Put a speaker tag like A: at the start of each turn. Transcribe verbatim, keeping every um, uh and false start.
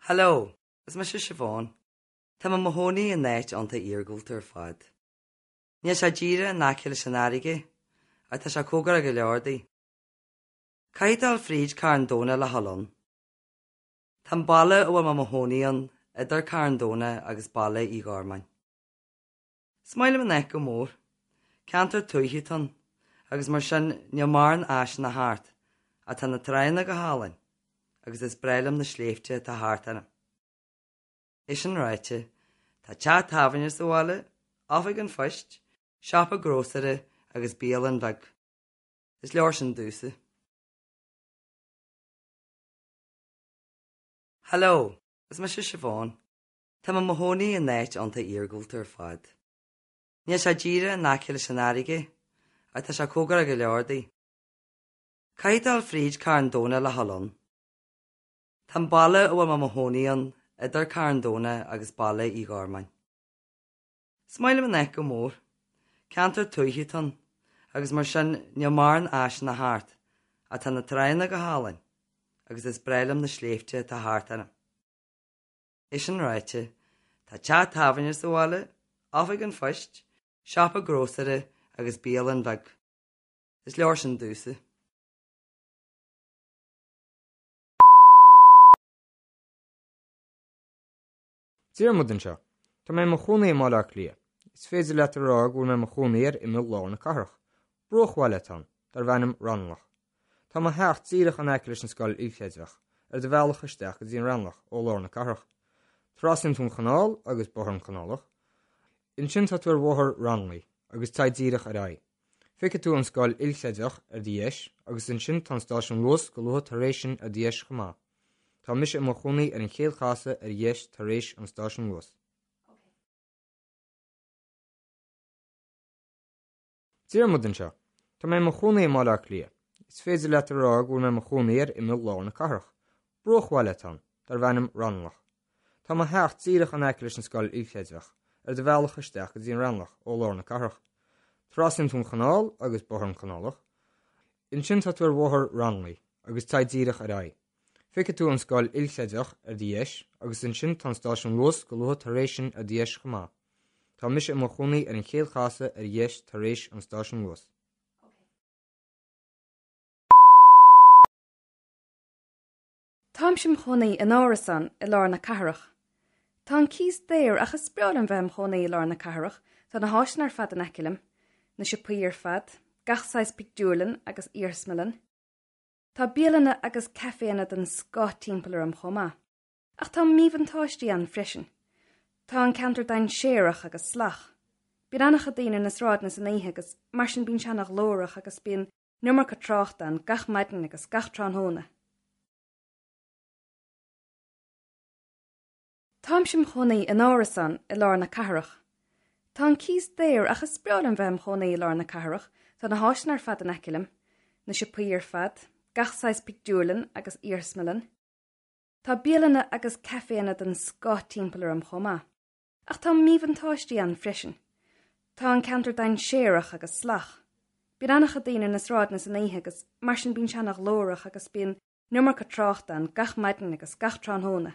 A: Hello, is mise Siobhán. Tá mé i mo chónaí in áit iontach iargúlta ar fad. Níl sé díreach in aice leis an fharraige, ach tá sé cóngarach go leor di. Caithfidh tú dul fríd Carn Domhnach le dhul ann. Tá an baile a bhfuil mé i mo chónaí ann idir Carn Domhnach agus Baile Uí Ghormáin. Is maith liom an áit go mór. Ceantar tuaithe atá ann, agus mar sin níl mórán áiseanna thart, ach tá na tránna go hálainn, agus is breá liom na sléibhte atá thart orm. É sin ráite, tá teach tábhairne sa bhaile, oifig an phoist, siopa grósaera agus bialann bheag. Is leor sin domhsa. Hello, is mise Siobhán. Tá mé i mo chónaí in áit iontach iargúlta ar fad. Níl sé díreach in aice leis an fharraige, ach tá sé cóngarach go leor di. Caithfidh tú dul fríd Carn Domhnach le dhul ann. Tá an baile a bhfuil mé i mo chónaí ann idir Carn Domhnach agus Baile Uí Ghormáin. Is maith liom an áit go mór. Ceantar tuaithe atá ann, agus mar sin níl mórán áiseanna thart, ach tá na tránna go hálainn, agus is breá liom na sléibhte atá thart orm. É sin ráite, tá teach tábhairne sa bhaile, oifig an phoist, siopa grósaera agus bialann bheag. Is leor sin domhsa.
B: Diarmuid anseo. Tá mé i mo chónaí i mBaile Átha Cliath. Is féidir leat a rá go bhfuil mé i mo chónaí ar imeall lár na cathrach. Bruachbhaile atá ann, darb ainm Raghnallach. Tá mo theach díreach in aice leis an scoil ilchreidmheach, ar do bhealach isteach go dtí an Raghnallach ó lár na cathrach. Trasnaíonn tú an chanáil agus Bóthar an Canálach. Ansin tá tú ar Bhóthar Raghnallach agus téigh díreach ar aghaidh. Feicfidh tú an scoil ilchreidmheach ar do dheis agus ansin tá an stáisiún Luas go luath tar éis sin ar do dheis chomh maith. Tá mise i mo chónaí ar an chéad chasadh ar dheis tar éis an stáisiún Luas. Diarmuid anseo. Tá mé i mo chónaí i mBaile Átha Cliath. Is féidir leat a rá go bhfuil mé i mo chónaí ar imeall lár na cathrach. Bruachbhaile atá ann, darb ainm Raghnallach. Tá mo theach díreach in aice leis an scoil ilchreidmheach, ar do bhealach isteach go dtí an Raghnallach ó lár na cathrach. Trasnaíonn tú an chanáil agus Bóthar an Canálach. Ansin tá tú ar Bhóthar Raghnallach agus téigh díreach ar aghaidh. Feicfidh tú an scoil ilchreidmheach ar do dheis agus ansin tá an stáisiún Luas go luath tar éis sin ar do dheis chomh maith. Tá mise i mo chónaí ar an chéad chasadh ar dheis tar éis an stáisiún Luas.
C: Táimse im chónaí in árasán i lár na cathrach. Tá an cíos daor ach is breá liom bheith im chónaí i lár na cathrach, tá na háiseanna ar fad in aice liom, na siopaí ar fad, gach saghas pictiúrlann agus iarsmalann. Tá bialanna agus caiféanna den scoth timpeall orm chomh maith. Ach tá míbhuntáistí ann freisin. Tá an ceantar dainséarach agus salach. Bíonn an-chuid daoine ar na sráideanna san oíche agus mar sin bíonn sé an-ghlórach agus bíonn an iomarca tráchta ann gach maidin agus gach tráthnóna. Táimse im chónaí in árasán i lár na cathrach. Tá an cíos daor ach is breá liom bheith im chónaí i lár na cathrach, tá na háiseanna ar fad in aice liom, na siopaí ar fad, gach saghas pictiúrlann agus iarsmalann. Tá bialanna agus caiféanna den scoth timpeall orm chomh maith. Ach tá míbhuntáistí ann freisin. Tá an ceantar dainséarach agus salach. Bíonn an-chuid daoine ar na sráideanna san oíche agus mar sin bíonn sé an-ghlórach agus bíonn an iomarca tráchta ann gach maidin agus gach tráthnóna.